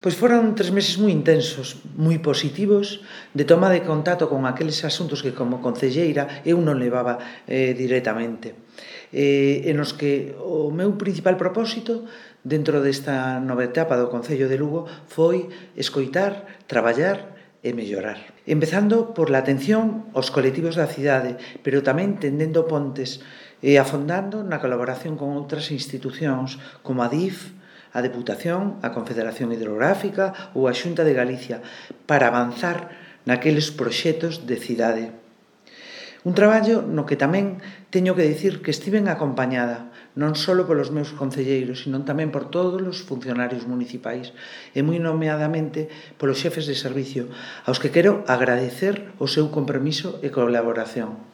Pois foron 3 meses moi intensos, moi positivos, de toma de contacto con aqueles asuntos que como concelleira eu non levaba directamente. En os que o meu principal propósito dentro desta nova etapa do Concello de Lugo foi escoitar, traballar e mellorar. Empezando por la atención aos colectivos da cidade, pero tamén tendendo pontes e afondando na colaboración con outras institucións como a DIF, a Deputación, a Confederación Hidrográfica ou a Xunta de Galicia para avanzar naqueles proxectos de cidade. Un traballo no que tamén teño que dicir que estiven acompañada non só polos meus concelleiros, sino tamén por todos os funcionarios municipais e moi nomeadamente polos xefes de servicio, aos que quero agradecer o seu compromiso e colaboración.